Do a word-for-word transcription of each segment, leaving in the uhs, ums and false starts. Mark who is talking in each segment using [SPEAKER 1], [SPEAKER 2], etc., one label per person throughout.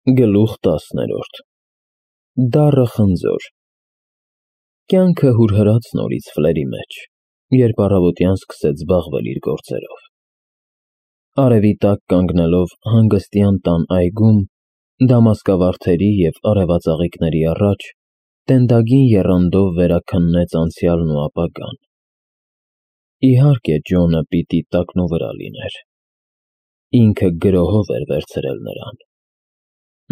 [SPEAKER 1] Գլուխ տասներորդ Դառը խնձոր Կյանքը հուրհրաց նորից Ֆլերի մեջ, երբ առավոտյան սկսեց զբաղվել իր գործերով։ Արևի տակ կանգնելով հանգստյան տան այգում, դամասկավարդերի և արևածաղիկների առաջ, տենդագին եռանդով վերաքննեց անցյալն ու ապագան։ Իհարկե, Ջոնը պիտի տակնուվրա լիներ։ Ինքը գրոհով էր վերցրել նրան։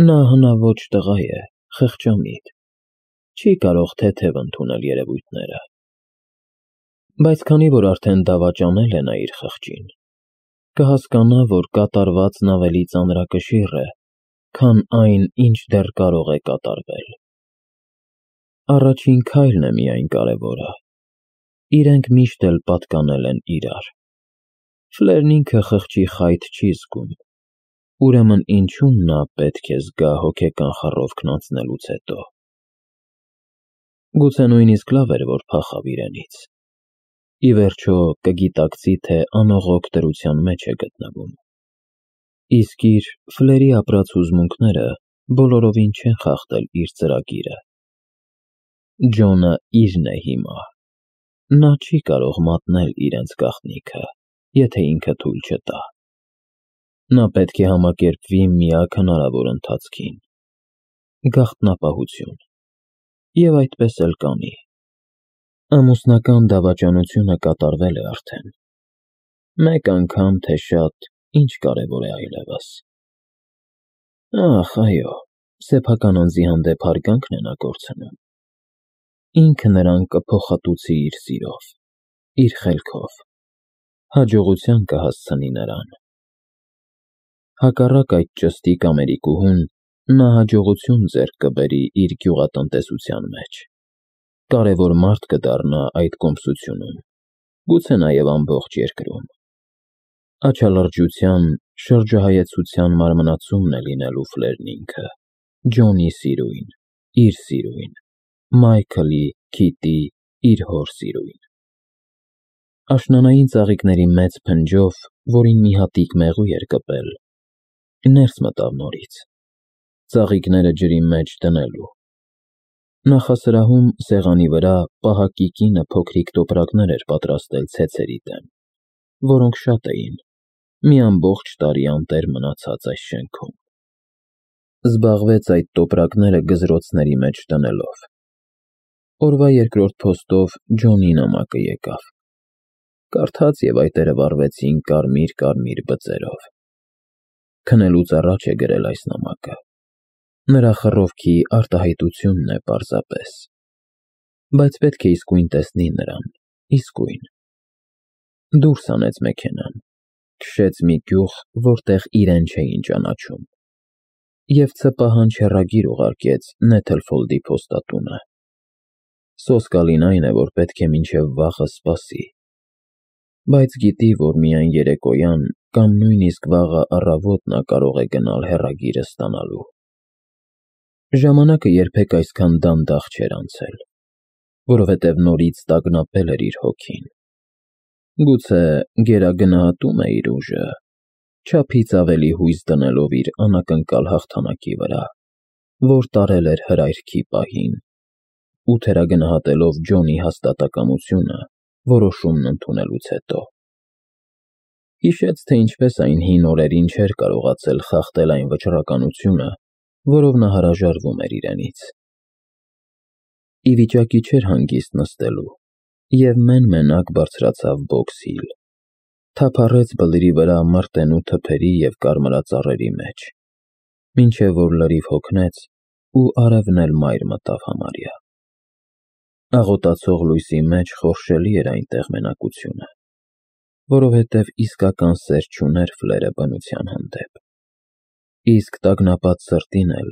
[SPEAKER 1] Նա հնաոճ տղա է, խղճամիտ, չի կարող թեթև ընդունել երևույթները։ Բայց քանի որ արդեն դավաճանել է նա իր խղճին, կհասկանա, որ կատարվածն ավելի ծանրակշիռ է, քան այն, ինչ դեռ կարող է կատարվել։ Առաջին քայլն է միայն կարևորը։ Իրենք միշտ էլ պատկանել են իրար։ Ֆլերն ինքը խղճի խայթ չի զգում, ուրեմն ինչու նա պետք է զգա հոգեկան խռովքն անցնելուց հետո։ Գուցե նույնիսկ լավ էր, որ փախավ իրենից։ Ի վերջո կգիտակցի, թե անողոք դրության մեջ է գտնվում։ Իսկ իր՝ Ֆլերի ապրած հուզմունքները բոլորովին չեն խախտել իր ծրագիրը։ Ջոնը իրն է հիմա։ Նա չի կարող մատնել իրենց գաղտնիքը, եթե ինքը թույլ չտա։ Նա պետք է համակերպվի միակ հնարավոր ընթացքին՝ գաղտնապահություն, և այդպես էլ կանի։ Ամուսնական դավաճանությունը կատարվել է արդեն։ Մեկ անգամ, թե շատ, ինչ կարևոր է այլևս։ Ախ, այո, սեփական անձի հանդեպ հարգանքն է նա կորցնում։ Ինքը նրան կփոխհատուցի իր սիրով, իր խելքով, հաջողության կհասցնի նրան։ Հակառակ այդ ճստիկ Ամերիկուհուն, նա հաջողություն ձեռք կբերի իր գյուղատնտեսության մեջ, կարևոր մարդ կդառնա այդ կոմսությունում, գուցե նաև ամբողջ երկրում։ Աչալրջության, շրջահայեցության մարմնացումն է լինելու Ֆլերն ինքը, Ջոնի սիրույն, իր սիրույն, Մայքլի, Քիթի, իր հոր սիրույն։ Աշնանային ծաղիկների մեծ փնջով, որին մի հատիկ մեղու էր կպել, ներս մտավ նորից, ծաղիկները ջրի մեջ դնելու։ Նախասրահում սեղանի վրա պահակի կինը փոքրիկ տոպրակներ էր պատրաստել ցեցերի դեմ, որոնք շատ էին, մի ամբողջ տարի անտեր մնացած այս շենքում։ Զբաղվեց այդ տոպրակները գզրոցների մեջ դնելով։ Օրվա երկրորդ փոստով Ջոնի նամակը եկավ։ Կարդաց և այտերը վառվեցին կարմիր-կարմիր բծերով։ Քնելուց առաջ է գրել այս նամակը։ Նրա խռովքի արտահայտությունն է պարզապես։ Բայց պետք է իսկույն տեսնի նրան, իսկույն։ Դուրս հանեց մեքենան, քշեց մի գյուղ, որտեղ իրեն չէին ճանաչում, և ցպահանջ հեռագիր ուղարկեց Նեթլֆոլդի փոստատունը։ Սոսկալին այն է, որ պետք է մինչև վաղը սպասի, բայց գիտի, որ միայն երեկոյան կամ նույնիսկ վաղը առավոտ նա կարող է գնալ հեռագիրը ստանալու։ Ժամանակը երբեք այսքան դանդաղ չէր անցել, որովհետև նորից տագնապել էր իր հոգին։ Գուցե գերագնահատում է իր ուժը, չափից ավելի հույս դնելով իր անակնկալ հաղթանակի վրա, որ տարել էր հրայրքի պահին, ու թերագնահատելով Ջոնի հաստատակամությունը որոշումն ընդունելուց հետո։ Հիշեց, թե ինչպես այն հին օրերին չէր կարողացել խախտել այն վճռականությունը, որով նա հրաժարվում էր իրենից։ Ի վիճակի չէր հանգիստ նստելու և մեն֊մենակ բարձրացավ Բոքս-Հիլ, թափառեց բլրի վրա մրտենու թփերի և կարմրածառերի մեջ, մինչև որ լրիվ հոգնեց ու արևն էլ մայր մտավ համարյա։ Աղոտացող լույսի մեջ խորշելի էր այնտեղ մենակությունը, որովհետև իսկական սեր չուներ Ֆլերը բնության հանդեպ։ Իսկ տագնապած սրտին էլ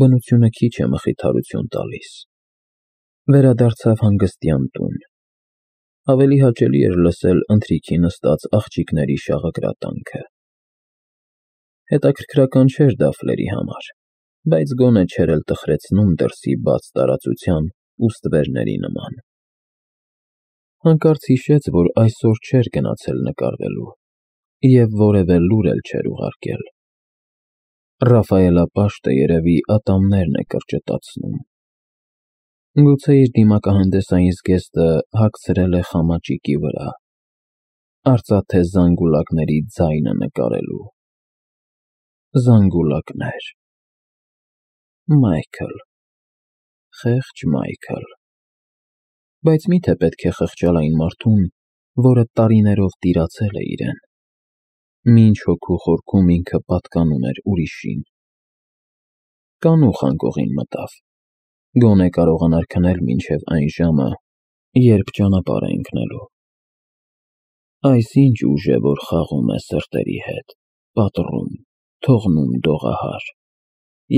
[SPEAKER 1] բնությունը քիչ է մխիթարություն տալիս։ Վերադարձավ հանգստյան տուն։ Ավելի հաճելի էր լսել ընթրիքի նստած աղջիկների շաղակրատանքը։ Հետաքրքրական չէր դա Ֆլերի համար, բայց գոնե չէր էլ տխրեցնում դրսի բաց տարածության ու ստվերների նման։ Հանկարծ հիշեց, որ այսօր չէր գնացել նկարվելու և որևէ լուր էլ չէր ուղարկել։ Ռաֆայելապաշտը երևի ատամներն է կրճտացնում։ Գուցե իր դիմակահանդեսային զգեստը հագցրել է խամաճիկի վրա, արծաթե զանգուլակների ձայնը նկարելու։ Զանգուլակներ… Մայքլ… Խեղճ Մայքլ… Բայց մի՞թե պետք է խղճալ այն մարդուն, որը տարիներով տիրացել է իրեն, մինչ հոգու խորքում ինքը պատկանում էր ուրիշին։ Կանուխ անկողին մտավ, գոնե կարողանար քնել մինչև այն ժամը, երբ ճանապարհ է ընկնելու։ Այս ինչ ուժ է, որ խաղում է սրտերի հետ, պատռում, թողնում դողահար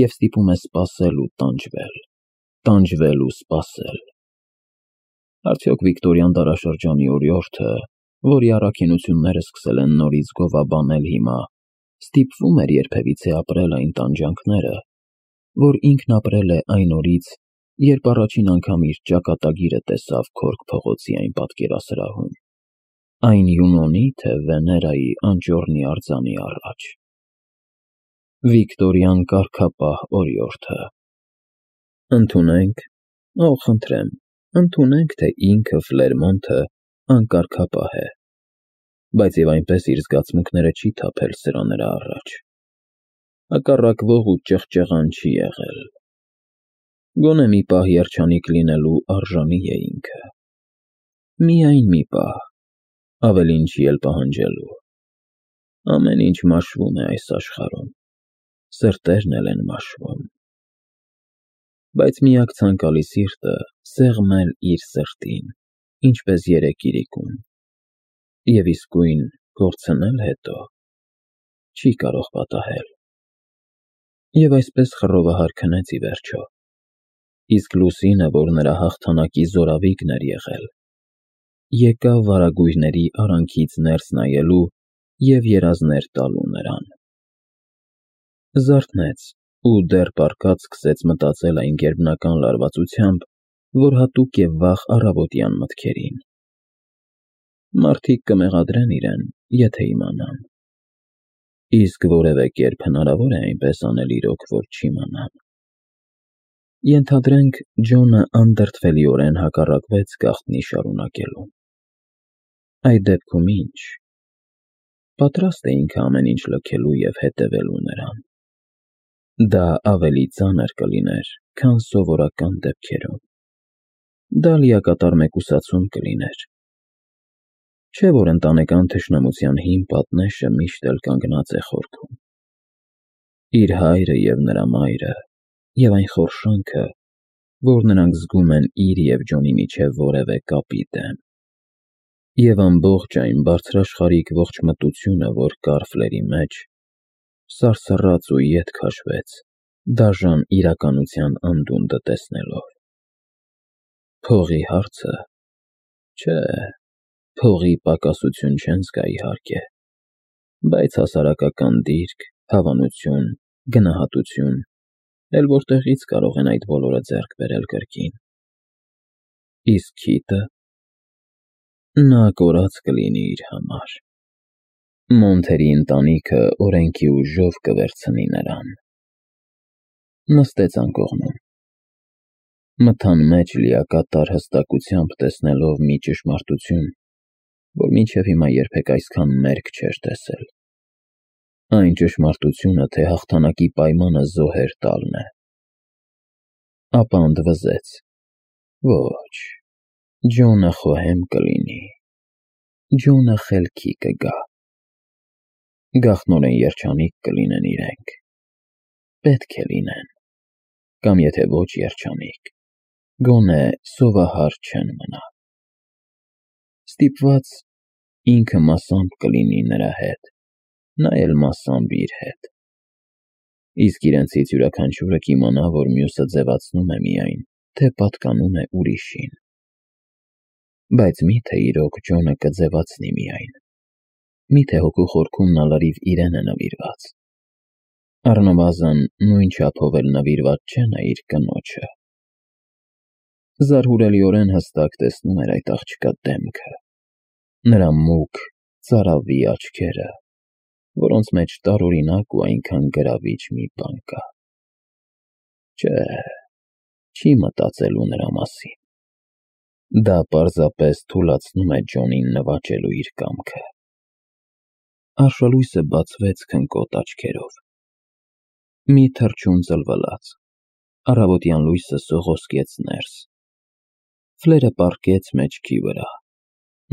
[SPEAKER 1] և ստիպում է սպասել ու տանջվել, տանջվել ու սպասել։ Արդյոք Վիկտորյան դարաշրջանի օրիորդը, որի առաքինությունները սկսել են նորից գովաբանել հիմա, ստիպվում էր երբևիցե ապրել այն տանջանքները, որ ինքն ապրել է այն օրից, երբ առաջին անգամ իր ճակատագիրը տեսավ Քորք փողոցի այն պատկերասրահում, այն Յունոնի, թե Վեներայի անճոռնի արձանի առաջ։ Վիկտորյան կարգապահ օրիորդը… Ընդունենք, օ, խնդրեմ, ընդունենք, թե ինքը Ֆլերմոնթը անկարգապահ է, բայց և այնպես իր զգացմունքները չի թափել սրա-նրա առաջ։ Հակառակվող ու ճղճղան չի եղել։ Գոնե մի պահ երջանիկ լինելու արժանի է ինքը։ Միայն մի պահ, ավելին չի էլ պահանջելու։ Ամեն ինչ մաշվում է այս աշխարհում, սրտերն էլ են մաշվում։ Բայց միակ ցանկալի սիրտը սեղմել իր սրտին, ինչպես երեկ իրիկուն, և իսկույն կորցնել հետո, չի կարող պատահել։ Եվ այսպես խռովահար քնեց ի վերջո, իսկ լուսինը, որ նրա հաղթանակի զորավիգն էր եղել, եկավ վարագույրների արանքից ներս նայելու և երազներ տալու նրան։ Զարթնեց ու դեռ պառկած սկսեց մտածել այն գերբնական լարվածությամբ, որ հատուկ է վաղ առավոտյան մտքերին։ Մարդիկ կմեղադրեն իրեն, եթե իմանան։ Իսկ որևէ կերպ հնարավոր է այնպես անել իրոք, որ չիմանան։ Ենթադրենք, Ջոնը անդրդվելիորեն հակառակվեց գաղտնի շարունակելուն։ Այդ դեպքում ի՞նչ։ Պատրաստ է ինքը ամեն ինչ լքելու և հետևելու նրան։ Դա ավելի ծանր կլիներ, քան սովորական դեպքերում։ Դա լիակատար մեկուսացում կլիներ։ Չէ՞ որ ընտանեկան թշնամության հին պատնեշը միշտ էլ կանգնած է խորքում։ Իր հայրը և նրա մայրը, և այն խորշանքը, որ նրանք զգում են իր և Ջոնի միջև որևէ կապի դեմ։ Եվ ամբողջ այն բարձրաշխարհիկ ողջ մտությունը, որ կար Ֆլերի մեջ, սարսռաց ու ետ քաշվեց, դաժան իրականության անդունդը տեսնելով։ Փողի հարցը… Չէ, փողի պակասություն չեն զգա իհարկե, բայց հասարակական դիրք, հավանություն, գնահատություն, էլ որտեղի՞ց կարող են այդ բոլորը ձեռք բերել կրկին։ Իսկ քիթը… Նա կորած կլինի իր համար։ Մոնթերի ընտանիքը օրենքի ուժով կվերցնի նրան։ Նստեց անկողնում։ Մթան մեջ լիակատար հստակությամբ տեսնելով մի ճշմարտություն, որ մինչև հիմա երբեք այսքան մերկ չէր տեսել։ Այն ճշմարտությունը, թե հաղթանակի պայմանը զոհեր տալն է։ Ապա ընդվզեց. Ոչ, Ջոնը խոհեմ կլինի, Ջոնը խելքի կգա։ Գաղտնորեն երջանիկ կլինեն իրենք։ Պետք է լինեն։ Կամ եթե ոչ երջանիկ, գոնե սովահար չեն մնա։ Ստիպված, ինքը մասամբ կլինի նրա հետ, նա էլ մասամբ իր հետ։ Իսկ իրենցից յուրաքանչյուրը կիմանա, որ մյուսը ձևացնում է միայն, թե պատկանում է ուրիշին։ Բայց մի՞թե իրոք Ջոնը կձևացնի միայն։ Մի՞թե հոգու խորքում նա լրիվ իրեն է նվիրված։ Առնվազն նույն չափով էլ նվիրված չէ նա իր կնոջը։ Զարհուրելիորեն հստակ տեսնում էր այդ աղջկա դեմքը, նրա մուգ, ծարավի աչքերը, որոնց մեջ տարօրինակ ու այնքան գրավիչ մի բան կա։ Չէ, չի մտածելու նրա մասին։ Դա պարզապես թուլացնում է Ջոնին նվաճելու իր կամքը։ Արշալույսը բացվեց քնկոտ աչքերով։ Մի թռչուն ծլվլաց, առավոտյան լույսը սողոսկեց ներս։ Ֆլերը պառկեց մեջքի վրա,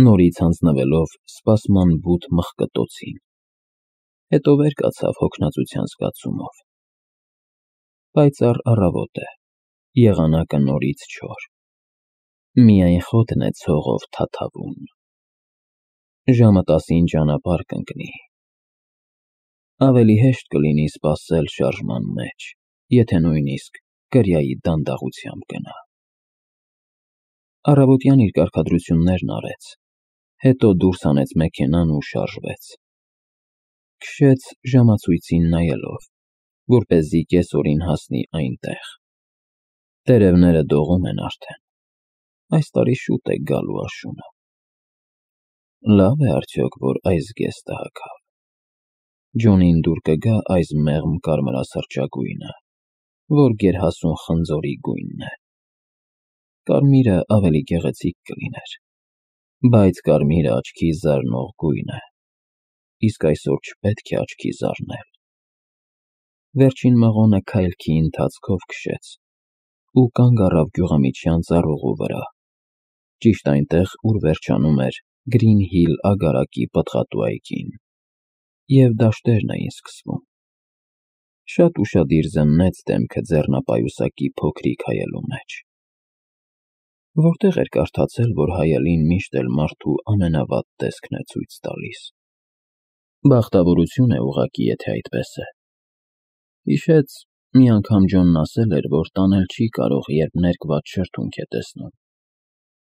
[SPEAKER 1] նորից հանձնվելով սպասման բութ մղկտոցին, հետո վեր կացավ հոգնածության զգացումով։ Պայծառ առավոտ է, եղանակը նորից չոր, միայն խոտն է ցողով թաթավում։ Ժամը տասին ճանապարհ կընկնի։ Ավելի հեշտ կլինի սպասել շարժման մեջ, եթե նույնիսկ կրիայի դանդաղությամբ գնա։ Առավոտյան իր կարգադրություններն արեց, հետո դուրս հանեց մեքենան ու շարժվեց։ Քշեց ժամացույցին նայելով, որպեսզի կեսօրին հասնի այնտեղ։ Տերևները դողում են արդեն, այս տարի շուտ է գալու աշունը։ Լավ է արդյոք, որ այս զգեստը հագավ։ Ջոնին դուր կգա այս մեղմ կարմրասրճագույնը, որ գերհասուն խնձորի գույնն է։ Կարմիրը ավելի գեղեցիկ կլիներ, բայց կարմիրը աչքի զարնող գույն է, իսկ այսօր չպետք է աչքի զարնել։ Վերջին մղոնը քայլքի ընթացքով քշեց ու կանգ առավ գյուղամիջյան ծառուղու վրա, ճիշտ այնտեղ, ուր վերջանում էր Գրին Հիլ ագարակի պտղատու այգին, և դաշտերն էին սկսվում։ Շատ ուշադիր զննեց դեմքը ձեռնապայուսակի փոքրիկ հայելու մեջ։ Որտեղ էր կարդացել, որ հայելին միշտ էլ մարդու ամենավատ տեսքն է ցույց տալիս։ Բախտավորություն է ուղղակի, եթե այդպես է։ Հիշեց, մի անգամ Ջոնն ասել էր, որ տանել չի կարող, երբ ներկված շրթունք է տեսնում,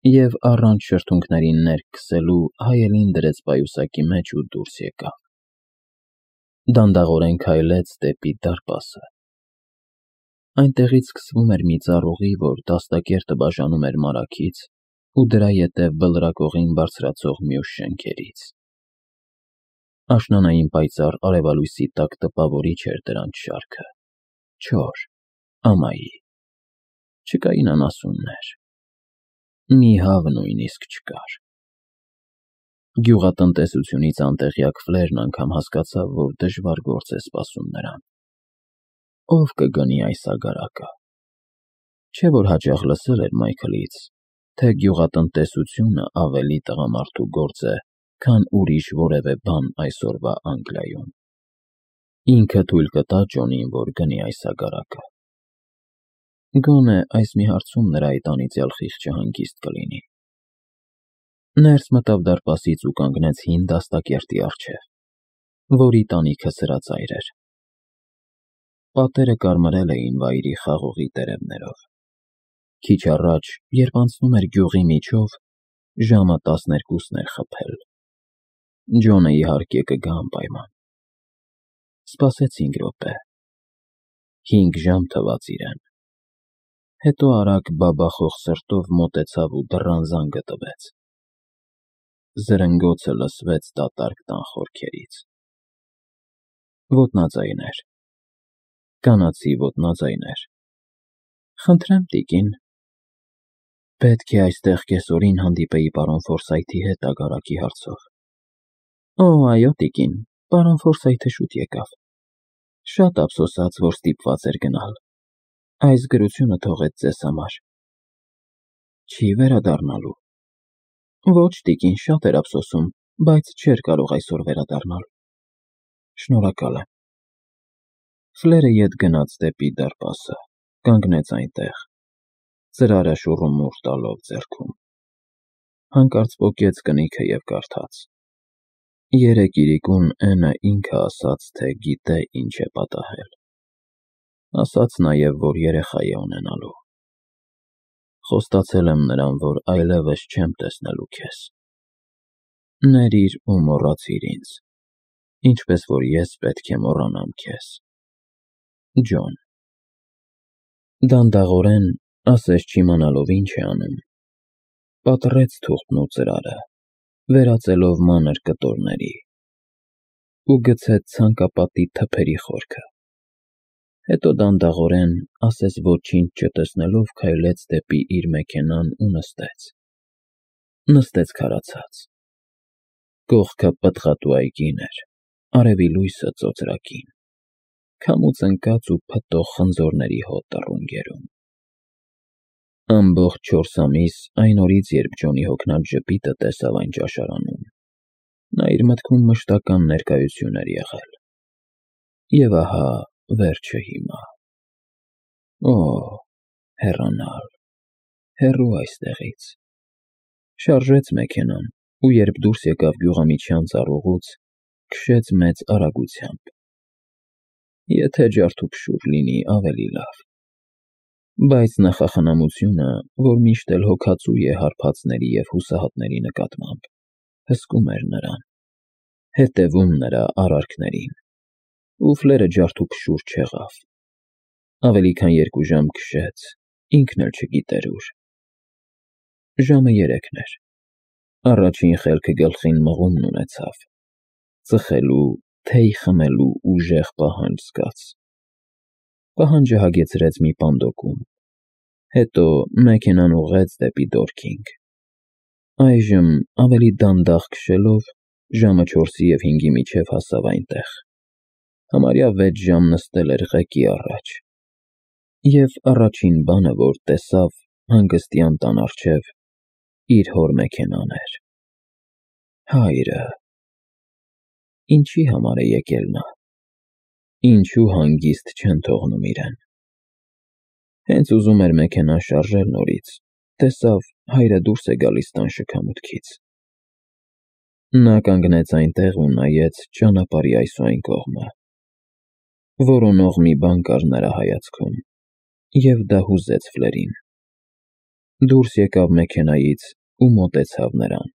[SPEAKER 1] և առանց շրթունքներին ներք քսելու հայելին դրեց պայուսակի մեջ ու դուրս եկավ։ Դանդաղորեն քայլեց դեպի դարպասը։ Այնտեղից սկսվում էր մի ծառուղի, որ դաստակերտը բաժանում էր մարագից ու դրա ետև բլրակողին բարձրացող մյուս շենքերից։ Աշնանային պայծառ արևալույսի տակ տպավորիչ էր դրանց շարքը, չոր, ամայի։ Չկային անասուններ։ Մի հավ նույնիսկ չկար։ Գյուղատնտեսությունից անտեղյակ Ֆլերն անգամ հասկացավ, որ դժվար գործ է սպասում նրան։ Ով կգնի այս ագարակը։ Չէ՞ որ հաճախ լսել էր Մայքլից, թե գյուղատնտեսությունը ավելի տղամարդու գործ է, քան ուրիշ որևէ բան այսօրվա Անգլիայում։ Ինքը թույլ կտա Ջոնին, որ գնի այս ագարակը։ Գոնե այս մի հարցում նրա այդ անիծյալ խիղճը հանգիստ կլինի։ Ներս մտավ դարպասից ու կանգնեց հին դաստակերտի առջև, որի տանիքը սրածայր էր։ Պատերը կարմրել էին վայրի խաղողի տերևներով։ Քիչ առաջ, երբ անցնում էր գյուղի միջով, ժամը տասներկուսն էր խփել։ Ջոնը իհարկե կգա անպայման։ Սպասեց հինգ րոպե։ Հինգ ժամ թվաց իրեն։ Հետո արագ բաբախող սրտով մոտեցավ ու դռան զանգը տվեց։ Զրնգոցը լսվեց դատարկ տան խորքերից։ Ոտնաձայն էր։ Կանացի ոտնաձայն էր։ Խնդրեմ, տիկին։ Պետք է այստեղ կեսօրին հանդիպեի պարոն Ֆորսայթի հետ ագարակի հարցով։ Օ, այո, տիկին, պարոն Ֆորսայթը շուտ եկավ։ Շատ ափսոսաց, որ ստիպված էր գնալ։ Այս գրությունը թողեց ձեզ համար։ Չի վերադառնալու։ Ոչ, տիկին, շատ էր ափսոսում, բայց չէր կարող այսօր վերադառնալ։ Շնորհակալ եմ։ Ֆլերը ետ գնաց դեպի դարպասը, կանգնեց այնտեղ, ծրարը շուռումուռ տալով ձեռքում։ Հանկարծ պոկեց կնիքը և կարդաց. Երեկ իրիկուն Էնը ինքը ասաց, թե գիտե ինչ է պատահել։ Ասաց նաև, որ երեխա է ունենալու։ Խոստացել եմ նրան, որ այլևս չեմ տեսնելու քեզ։ Ներիր ու մոռացիր ինձ, ինչպես որ ես պետք է մոռանամ քեզ։ Ջոն։ Դանդաղորեն, ասես չիմանալով ինչ է անում, պատռեց թուղթն ու ծրարը, վերածելով մանր կտորների։ ու գցեց ցանկապատի թփերի խորքը։ Հետո դանդաղորեն, ասես ոչինչ չտեսնելով, քայլեց դեպի իր մեքենան ու նստեց։ Նստեց քարացած։ Կողքը պտղատու այգին էր, արևի լույսը ծոծրակին, քամուց ընկած ու փտող խնձորների հոտ տռունգերում։ Ամբողջ չորս ամիս այն օրից, երբ Ջոնի հոգնած ժպիտը տեսավ այն ճաշարանում, նա իր մտքում մշտական ներկայություն էր եղել։ Եվ ահա վերջը հիմա։ Օ՜, հեռանալ, հեռու այստեղից։ Շարժեց մեքենան ու երբ դուրս եկավ գյուղամիջյան ծառուղուց, քշեց մեծ արագությամբ։ Եթե ջարդուփշուր լինի, ավելի լավ։ Բայց նախախնամությունը, որ միշտ էլ հոգածու է հարբածների և հուսահատների նկատմամբ, հսկում էր նրան, հետևում նրա արարքներին, ու ֆլերը ջարդուփշուր չեղավ։ Ավելի քան երկու ժամ քշեց, ինքն էլ չգիտեր ուր։ Ժամը երեքն էր։ Առաջին խելքը գլխին մղումն ունեցավ, ծխելու, թեյ խմելու ուժեղ պահանջ զգաց։ Պահանջը հագեցրեց մի պանդոկում, հետո մեքենան ուղղեց դեպի Դորքինգ։ Այժմ, ավելի դանդաղ քշելով, ժամը չորսի և հինգի միջև հասավ այնտեղ։ Համարյա վեց ժամ նստել էր ղեկի առաջ։ Եվ առաջին բանը, որ տեսավ հանգստյան տան առջև, իր հոր մեքենան էր։ Հայրը… Ինչի համար է եկել նա։ Ինչու հանգիստ չեն թողնում իրեն։ Հենց ուզում էր մեքենան շարժել նորից, տեսավ հայրը դուրս է գալիս տան շքամուտքից։ Նա կանգնեց այնտեղ ու նայեց ճանապարհի այս ու այն կողմը։ Որոնող մի բան կար նրա հայացքում, և դա հուզեց ֆլերին։ Դուրս եկավ մեքենայից ու մոտեցավ նրան։